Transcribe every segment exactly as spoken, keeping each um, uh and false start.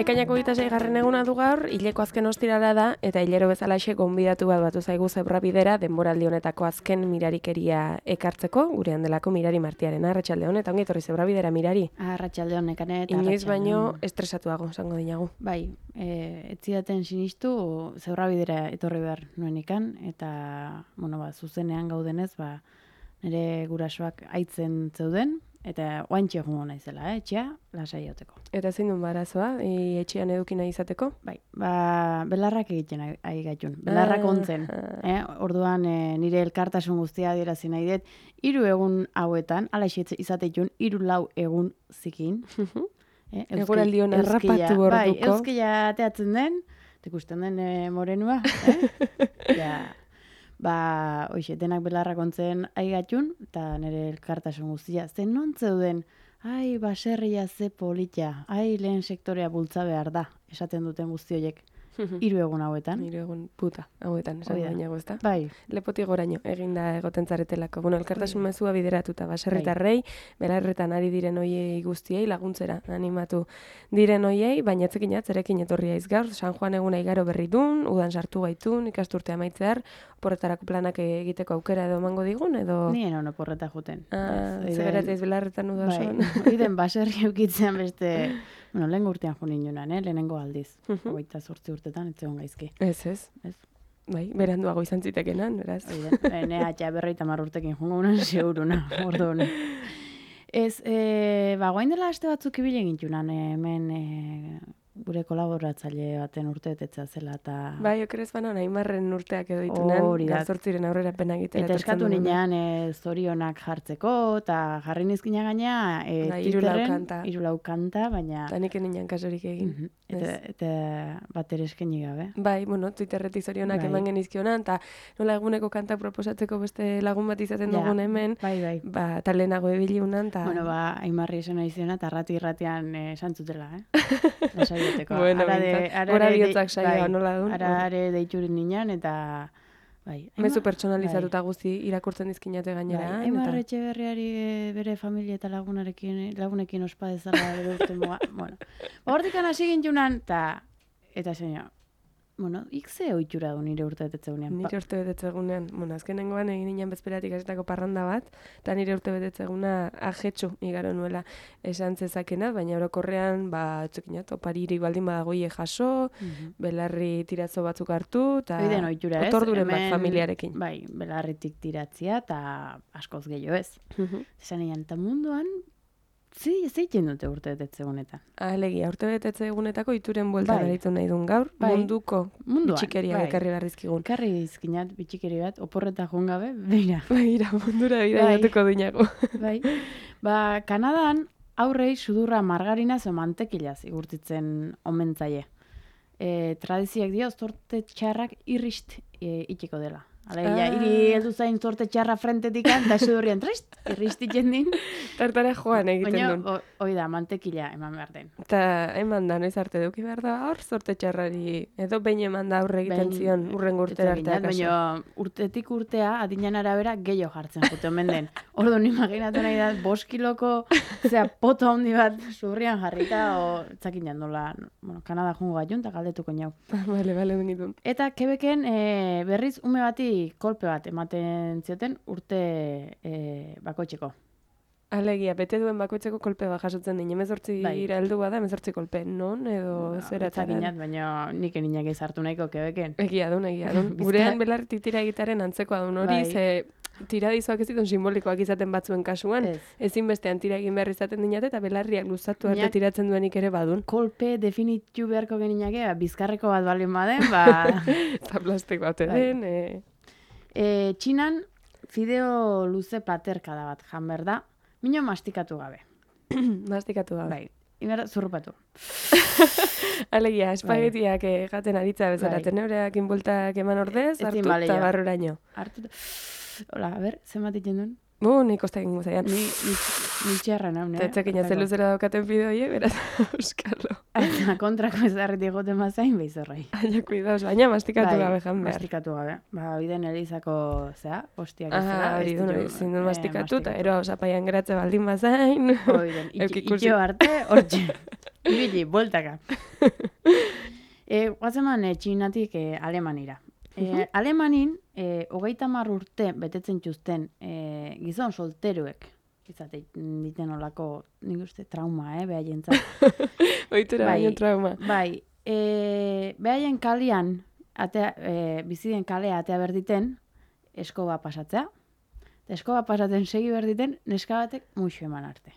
Ekainako hogeita seigarren eguna du gaur, hileko azken ostirala da, eta hilero bezalaxe gonbidatu bat batu zaigu zebrabidera denboraldi honetako azken mirarikeria ekartzeko, gurean delako Mirari Martiaren. Arratsalde hon, eta ongi etorri zebrabidera, Mirari. Arratsalde hon, Nekane, eta Inoiz baino estresatuago, esango dinagu. Bai, e, etzidaten sinistu zebrabidera etorri behar nuen ikan, eta, bueno, ba, zuzenean gaudenez, ba, nire gurasoak aitzen zeuden, eta oantxe joango naizela, eh, etxea, lasai joteko. Eta zein duen barazoa, e, etxean eduki nahi izateko? Bai, ba, belarrak egiten ari gaitun, belarrak ontzen. Eh? Orduan e, nire elkartasun guztia adierazi nahi dut, hiru egun hauetan, ala izateitun, hiru lau egun zikin. eh, Eguraldion harrapatu orduko. Bai, euskila ateatzen den, ikusten den e, morenua, eh? ja, ba, hoxe, denak belarrak ontzen aigatxun, eta nire elkartasun guztia, zen non zeuden, ai, baserria ze polita, ai, lehen sektorea bultza behar da, esaten duten guzti horiek, hiru egun hauetan. Hiru egun puta hauetan, esan bainago, ezta? Bai. Lepotik goraino, eginda egoten zaretelako. Bueno, elkartasun mezua bideratuta, baserritarrei, belarretan ari diren hoiei guztiei laguntzera animatu diren hoiei, baina etzekin atzerekin etorria iz gaur, San Juan eguna igaro berri dun, udan sartu gaitun, ikasturtea amaitzear, porretarako planak egiteko aukera edo emango digun, edo... Nien ono porreta juten. Ah, zeberateiz belarretan udasoan. Bai, oiden baserri eukitzean beste... Bueno, lehen urtean jo ninunan, eh? Lehenengo aldiz. Hogeita zortzi urtetan, ez zegoen gaizki. Ez, ez. Ez. Bai, beranduago izan zitekenan, beraz. Oide, ne atxa berroita mar urtekin jongo unan seguruna, orduan. Ez, e, ba, guain dela aste batzuk ibile gintunan, hemen e, gure kolaboratzaile baten urteetetza zela, eta... Bai, okerez banan, Aimarren urteak edo ditunan, gazortziren aurrera pena egitera. Eta eskatu ninean e, zorionak jartzeko, eta jarri nizkina gaina, e, da, Twitterren, irulau kanta, baina... Eta nik nian kasorik egin. Mm -hmm. Eta, eta bat ere eskeni gabe. Bai, bueno, Twitterretik zorionak bai. Eman genizkionan, eta nola eguneko kanta proposatzeko beste lagun bat izaten ja, dugun hemen, bai, bai. Ba, eta lehenago ebiliunan, eta... Bueno, ba, Aimarri esan nahi ziona, eta rati-ratian esan zutela, eh? Lasaioteko. Bueno, gora bihotzak saioa nola duen. Ara are deiturin ninan, eta... Bai, mezu pertsonalizatuta bai. Guzti irakurtzen dizkinate gainera. Bai, Aimar Etxeberriari bere familia eta lagunarekin, lagunekin ospa dezala ere urte muga. Bueno, hortikan hasi gintunan, eta, eta zeina, bueno, ikze oitura du nire urte betetzegunean. Nire urte betetzegunean, bueno, azkenengoan egin nian bezperatik asetako parranda bat, eta nire urte betetzeguna ajetxu igaro nuela esan zezakena, baina orokorrean, ba, txekinat, opariri baldin badagoie jaso, mm -hmm. belarri tirazo batzuk hartu, eta otorduren bat familiarekin. Bai, belarritik tiratzia, eta askoz gehiago ez. Mm -hmm. Esan egin, eta munduan, Zi, ez egiten dute urte betetze egunetan. Alegia, urte betetze egunetako ituren bueltan bai. Aritu nahi duen gaur, bai. Munduko Munduan, bitxikeria bai. Ekarri barrizkigun. Ekarri izkinat bitxikeri bat, oporreta joan gabe, beira. Beira, mundura bida bai. Jatuko duinago. Bai. Ba, Kanadan aurrei sudurra margarinaz o mantekilaz igurtitzen omentzaie. E, tradiziak dio, zorte txarrak irrist e, itxiko dela. Alegia, ah. iri heldu zain zorte txarra frentetik eta sudurrian trist, irristitzen din. Tartara joan egiten duen. Baina, hoi da, mantekila eman behar den. Eta eman da, noiz arte duki behar da, hor zorte txarrari, edo behin eman da aurre egiten zion, urren urtera arteak. Baina, urtetik urtea, adinan arabera, gehiago jartzen jute omen den. Orduan, imaginatu nahi da, bost kiloko, zera, poto handi bat sudurrian jarrita, o, etzakin jandola, bueno, Kanada jungo gaiun, eta galdetuko nau. Bale, bale, dengitun. Eta, Quebecen, e, berriz, ume bati kolpe bat ematen zioten urte e, bakoitzeko. Alegia, bete duen bakoitzeko kolpe bat jasotzen din. Hemezortzi bai. Iraldu bada, hemezortzi kolpe. Non edo no, zera txaran? Baina nik eninak ez hartu nahiko Quebecen. Egia dun, egia dun. Gurean belartik tira egitaren antzekoa dun hori, bai. Ze tiradizoak ez ditun simbolikoak izaten batzuen kasuan. Ez. Ezin bestean tira egin behar izaten dinate, eta belarriak luzatu arte tiratzen duenik ere badun. Kolpe definitu beharko geninake, bizkarreko bat balin baden, ba... Eta plastik bat eden, bai. e... E, Txinan fideo luze platerkada bat jan behar da, mino mastikatu gabe. Mastikatu gabe. Bai, inberda zurrupatu. Alegia, espagetiak bai. Gaten aritza bezala, bai. Teneureak inbultak eman ordez, hartu eta barruraino. Hartu eta... Hola, a ber, zenbat iten duen? Bu, nik ostak ingo zaian. Ni, ni, ni txarra nahu, ne? Tetzekin jatzen luzera daukaten bideoie, beraz, euskalo. Eta kontrako ez darretik goten mazain behizorrai. Aina, kuidauz, baina mastikatu bai, gabe jan behar. Mastikatu gabe. Ba, biden elizako, zera, hostiak ez zera. Ah, hori duen, zindun eh, mastikatu, eta ero, zapaian geratze baldin mazain. Hori den, itxo arte, hortxe. ibili, bueltaka. E, Guazeman, e, txinatik e, Alemanira. E, Alemanin, e, hogeita hamar urte betetzen txuzten e, gizon solteruek, izate diten olako, nik uste, trauma, eh, behaien Oitura bai, baino trauma. Bai, e, behaien kalian, atea, e, biziden kalea atea berditen, eskoba pasatzea, eta eskoba pasatzen segi berditen, neska batek muixu eman arte.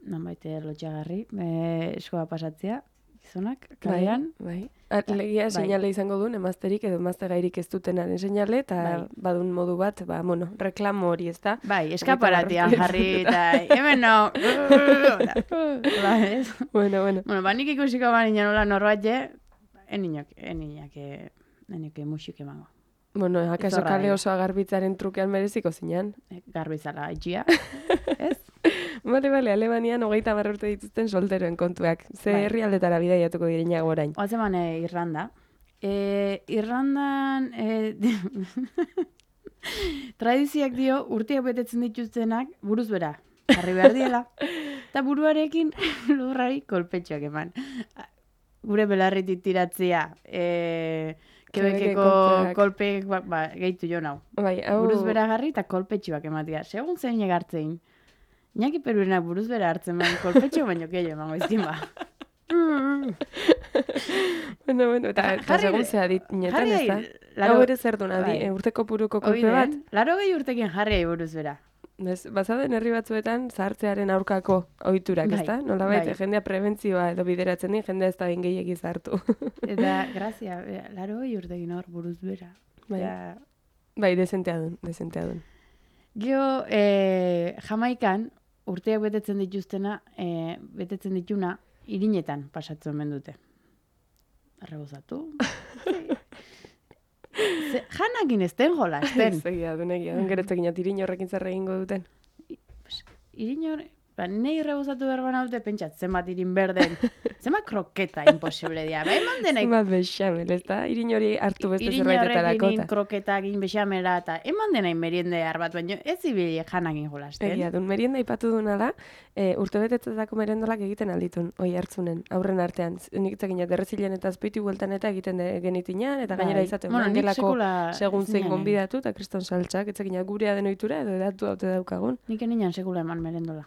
Non baite lotxagarri, e, eskoba pasatzea, gizonak, kalean. Bai, bai. Legia bai. seinale izango duen, emazterik edo emazte gairik ez dutenaren seinale, eta bai. badun modu bat, ba, bueno, reklamo hori ez da. Bai, eskaparatian jarri, eta hemen no. Ba, ez? Bueno, bueno. Bueno, ba, nik ikusiko ba nina nola norbait je, eninok, eninak, eninok musik emango. Bueno, akaso Zorra, kale eh. oso garbitzearen trukean mereziko zinan. Garbizala, itxia, ez? Bale, bale, Alemanian hogeita hamar urte dituzten solteroen kontuak. Ze Bai. herrialdetara bidaiatuko direnak orain. Oatzeman e, Irlanda. E, Irlandan e, tradiziak dio urteak betetzen dituztenak buruz bera. Jarri behar diela. Eta buruarekin lurrari kolpetxoak eman. Gure belarritik tiratzea. E, Kebekeko kolpeak. kolpeek ba, ba, gehitu jo nau. Bai, hau... Buruz bera garri eta kolpetxoak ematia. Segun zein egartzein. Iñaki Perurenak buruz bera hartzen bain kolpetxo baino keio emango izkin ba. bueno, bueno, eta, eta Jarri- segun zea dit netan jarri ez da. laro- Hau ere zer duna, bai. di, urteko puruko Hoi kolpe bat. den, laro gehi urtekin jarri buruz bera. Ez, bazaden herri batzuetan zahartzearen aurkako ohiturak, Bai, ezta? Nolabait bai. jendea prebentzioa edo bideratzen di, jendea ez da behin gehiegi zartu. Eta, grazia, e, laro gehi urtekin hor buruz bera. Bai. Ja. Bai, dezentea dun, dezentea dun. Geo, e, Jamaikan, urteak betetzen dituztena, e, betetzen dituna, irinetan pasatzen omen dute. Arrebozatu. Ze, janakin ez den jola, ez den. Egia dun, egia dun, gero etekin atirin horrekin zer egingo duten. Irin hor, ba, nei rebozatu behar bana dute, pentsat, zenbat irin berden, zenbat kroketa imposible dia. Ba, eman denaik, Zenbat bexamel, ez da? Irin hori hartu beste irin zerbaitetarako. horrekin eta- kroketak, bexamela, eta eman denaik meriende bat, baina ez ibili janakin jolasten. Egia dun, merienda ipatu duna da, e, urtebetetzetako merendolak egiten alditun, oi hartzunen, aurren artean. Nik itzekin derrezilen eta azpeitu bueltan eta egiten de, genitinan, eta gainera Bai. izaten Bueno, nik mangelako sekula segun zein zinanen. gonbidatu, eta kriston saltxak, itzekin gurea den ohitura edo edatu haute daukagun. Nik eninan sekula eman merendola.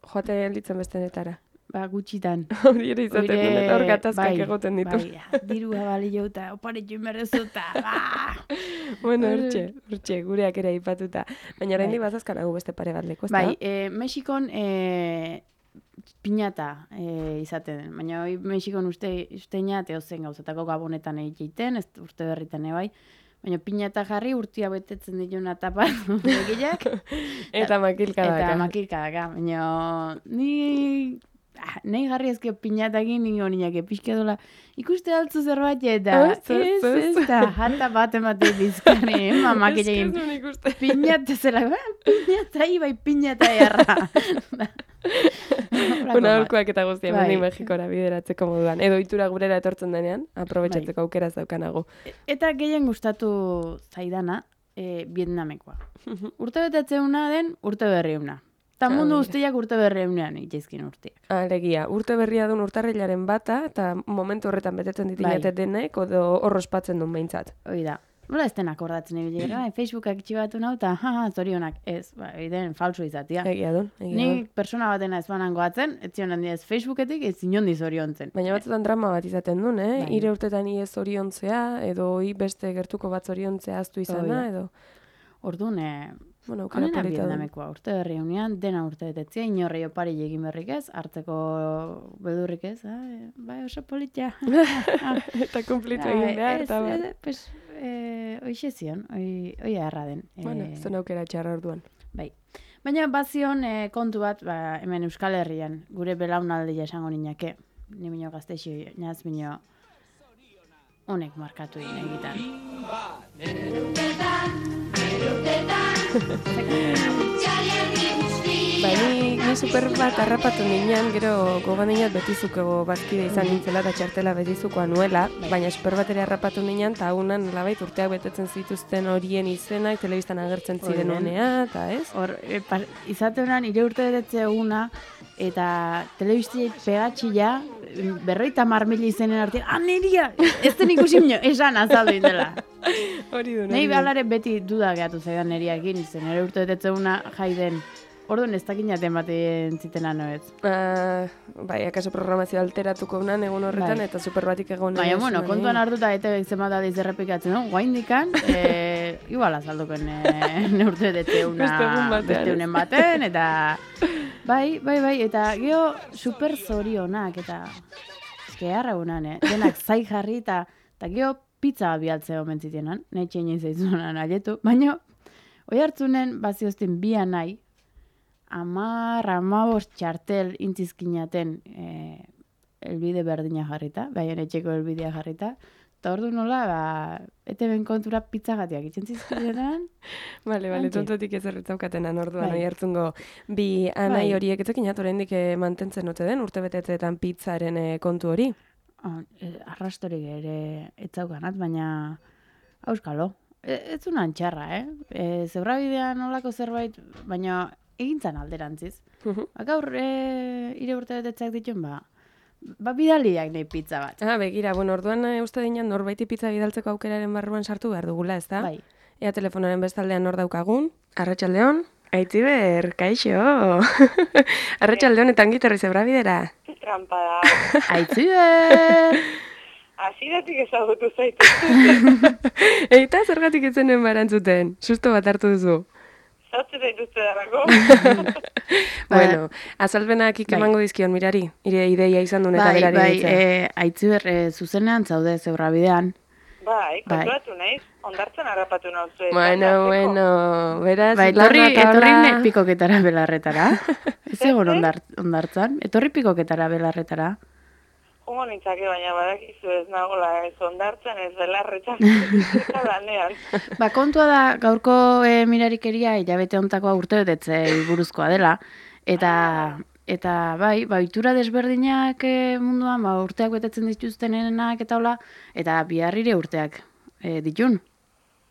Joate litzen bestenetara. Ba, gutxitan. Hori ere izaten Oire, duen, eta hor gatazkak bai, egoten ditu. Bai, ja, dirua balio eta oparetu inberrezuta. Ba! Bueno, Hor- hortxe, hortxe, gureak ere aipatuta. Baina oraindik Bai. bazazkanagu beste pare bat leku, ezta? Bai, e, Mexikon e, piñata e, izaten den. Baina hoi Mexikon uste, usteina teozen gauzatako gabonetan egiten, ez urte berritan bai. Baina piñata jarri urtia betetzen dituna tapatu begiak. Eta makilkadaka. Eta makilkadaka. Baina ni... Ah, nahi jarri ezke piñatakin ningo ninak epizke dola. Ikuste altzu zerbait eta Ez, ez, ez, ez, ez. eta jata bat emate bizkarri, mamak Ez que egin. ez duen ikusten. Piñata zela, "Ah, piñata, ibai piñata erra. Una aurkoak eta guztia, Bai. bai. Mexikora bideratzeko moduan. Edo ohitura gurera etortzen denean, aprobetxatzeko aukera zaukanago. Eta gehien gustatu zaidana, e, Vietnamekoa. Urte betetzeuna den urte berriuna. Eta Ah, mundu mira. guztiak urte berriunean itxezkin urteak. Alegia, urte berria duen urtarrilaren bata, eta momentu horretan betetzen ditinete Bai. denek, odo horrospatzen duen behintzat. Hoi da. Nola ez den akordatzen ibili gara, bai, Facebookak itxibatu nau, eta ha, ha, zorionak, ez, ba, den falso izatia. Egia dun, egia Ni dun. persona batena ez banango atzen, ez zion handi ez Facebooketik, ez inondi zoriontzen. Baina batzutan drama bat izaten duen, eh? Bai. Ire urtetan iez oriontzea, edo hi beste gertuko bat oriontzea aztu izana, Hoi da. edo... Orduan, eh, Bueno, aukera honena polita dun. Vietnamekoa, urte berri unean, dena urte betetzea, inorri opari egin berrik ez, hartzeko bedurrik ez, ah, eh, bai oso politia. Eta kumplitu Ah, egin behar, ez, eta bar. ez, pues, eh, oixe zion, oi, oi erra den. Bueno, Eh, zuen aukera txarra orduan. Bai. Baina bazion eh, kontu bat, ba, hemen Euskal Herrian, gure belaunaldia esango ninake, ni minio gaztexi, naz minio, honek markatu egin egitan. Ba, ni, ni super bat harrapatu ninean, gero gogoan dinat betizukego bazkide izan nintzela eta txartela betizukoa nuela, baina super bat ere harrapatu ninean, eta hagunan labait urteak betetzen zituzten horien izenak, telebistan agertzen ziren Hori den. unea, eta ez? Hor, e, pa, izate honan, ire urte betetze eguna, eta telebizti pegatxila, berroita marmila izenen artean, ah, neria, ez den ikusi minio, esan azaldu indela. Hori du, Nei behalare beti duda gehatu zaidan neriakin, zen ere urte betetzeuna jaiden. Orduan ez dakinaten batean zitena noez. Uh, bai, akaso programazio alteratuko unan egun horretan, bai. Eta superbatik egon. Baina, bueno, kontuan hartuta eta zenbat adiz errepikatzen, no? Guaindikan, e, igual azalduken e, neurte detzeuna beste unen baten, eta bai, bai, bai, eta geho super zorionak, eta eske harra unan, eh? Denak zai jarri, eta, eta geho pizza bialtze omen zitenan, nahi txein zaizunan aletu, baina, oi hartzunen baziozten bia nahi, amar, amabost txartel intzizkinaten e, elbide berdina jarrita, baina etxeko elbidea jarrita, eta ordu nola, ba, ete ben kontura pizzagatiak itxentzizkinetan. Bale, bale, tontotik ez erretzaukatenan orduan, oi hartzungo bi anai horiek etzekin oraindik mantentzen ote den, urte betetzeetan pizzaren kontu hori? Oh, e, arrastorik ere etzaukanat, baina auskalo. E, ez unan txarra, eh? E, zebrabidean olako zerbait, baina egintzan alderantziz. Uh-huh. Gaur e, ire urte betetzak dituen, ba, ba bidaliak nahi pizza bat. Ah, begira, bueno, orduan e, uste dinan norbaiti pizza bidaltzeko aukeraren barruan sartu behar dugula, ez da? Bai. Ea telefonaren bestaldean hor daukagun. Arratsaldeon, Aitziber, kaixo. Arratsaldeon eta ongitorri zebrabidera. Trampa da. Aitziber! Asiratik ezagutu zaitu. Eta zergatik etzenen barantzuten, susto bat hartu duzu. Zautzen dituzte darako. Bueno, azalpenak ikemango dizkion mirari, ire ideia izan duen eta berari bai, ditzen. Bai, e, Aitziber, e, zuzenean zaude zebrabidean. Bai, konturatu nahiz, ondartzen harrapatu nauzue. Bueno, bueno, beraz, bai, etorri, etorri ne pikoketara belarretara. Ez egon ondart, ondartzan, etorri pikoketara belarretara. Jungo nintzake, baina badakizu ez nagola ez ondartzen, ez belarretan, eta lanean. Ba, kontua da, gaurko e, mirarikeria hilabete hontakoa urte betetze buruzkoa dela, eta eta bai, ba, itura desberdinak e, munduan, ba, urteak betetzen dituztenenak eta hola, eta biharrire urteak e, ditun.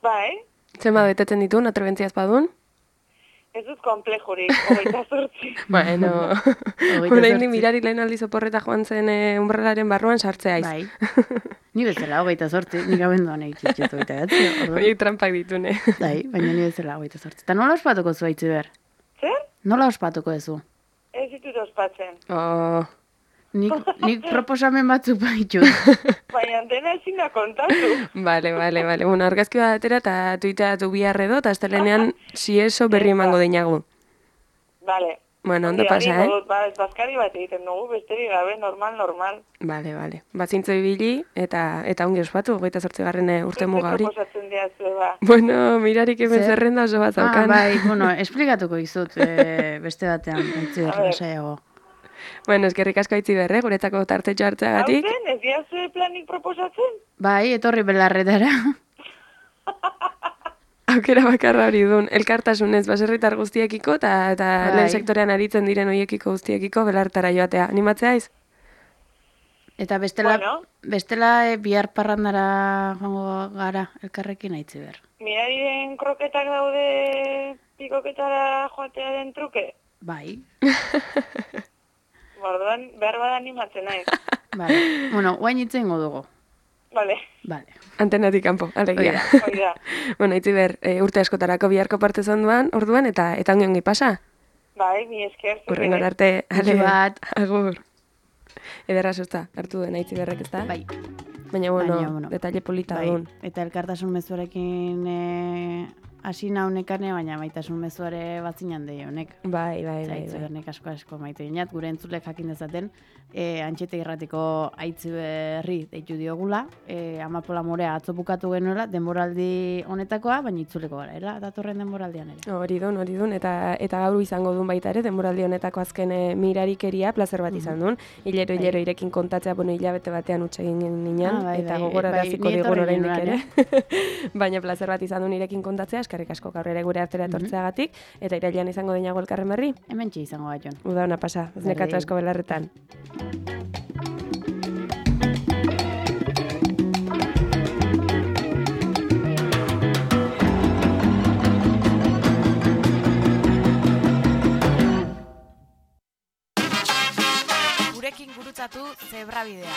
Bai. Zenba betetzen ditun, atrebentziaz badun? Ez dut komplejurik, hogeita zortzi. Bueno, orain di mirari lehen aldiz oporreta joan zen e, umbrelaren barruan sartzea iz. Bai. Ni bezala hogeita zortzi, nik abenduan egitxetxetu hogeita gatzi. Hoi trampak ditune. Bai, baina ni bezala hogeita zortzi. Eta nola ospatuko zu, Aitziber? Zer? Nola ospatuko ezu? Ez ditut ospatzen. Oh... Nik, nik proposamen batzuk baitut. Baina dena ezin da kontatu. Bale, bale, bale. Bueno, argazki bat atera eta tuiteatu bihar edo, eta astelenean si eso berri emango deinagu. Bale. Bueno, ondo pasa, eh? Ba, ez bazkari bat egiten dugu, besterik gabe, normal, normal. Bale, bale. Batzintzo ibili eta eta ongi ospatu, goita zortzigarren urte muga hori. Proposatzen diazue, ba. Bueno, mirarik hemen zerrenda oso bat zaukan. Ah, bai, bueno, esplikatuko izut e, beste batean, Aitziber, lasaiago. Bueno, eskerrik asko Aitziber, eh, guretzako tartetxo hartzeagatik. Hauzen, ez diazue planik proposatzen? Bai, etorri belarretara. Aukera bakarra hori dun, elkartasunez baserritar guztiekiko eta eta bai. Lehen sektorean aritzen diren hoiekiko guztiekiko belartara joatea. Animatzea iz? Eta bestela, bueno. bestela e, bihar parrandara joango gara elkarrekin, Aitziber. Mirariren kroketak daude pikoketara joatearen truke? Bai. Bordoan, behar bada animatzen nahi. Vale. Bueno, guain itzen dugu. Vale. Vale. Antenatik kanpo, alegia. Oida. Bueno, Aitziber, e, urte askotarako biharko parte zonduan, orduan, eta eta ongi ongi pasa. Bai, mi esker. Urrengo arte, ale bat. Agur. Ederra susta, hartu duen Aitziberrek, ez da? Bai. Baina, bueno, Baina, bueno. detalle polita Bai. duen. Eta elkartasun mezuarekin e, hasi naunekane, baina maitasun mezuare batzinan de honek. Bai, bai, bai. Aitzibernek asko asko maite dinat, gure entzulek jakin dezaten, e, antxete irratiko Aitziberri deitu diogula, e, Amapola Morea atzo bukatu genuela, denboraldi honetakoa, baina itzuleko gara, era, datorren denboraldian ere. Hori dun, hori dun, eta eta gaur izango dun baita ere, denboraldi honetako azken e, mirarikeria, plazer bat izan dun, hilero, hilero irekin kontatzea, bueno, hilabete batean utxe egin ninan, Ah, bai, eta bai, gogoraraziko bai, ni digun etorri oraindik nuen, ere. Baina plazer bat izan dun irekin kontatzea, eskerrik asko gaur ere gure artera etortzeagatik, eta irailean izango deinago elkarren berri. Hemen txe izango bat, Jon. Uda ona pasa, ez nekatu asko belarretan. gurekin gurutzatu zebrabidea.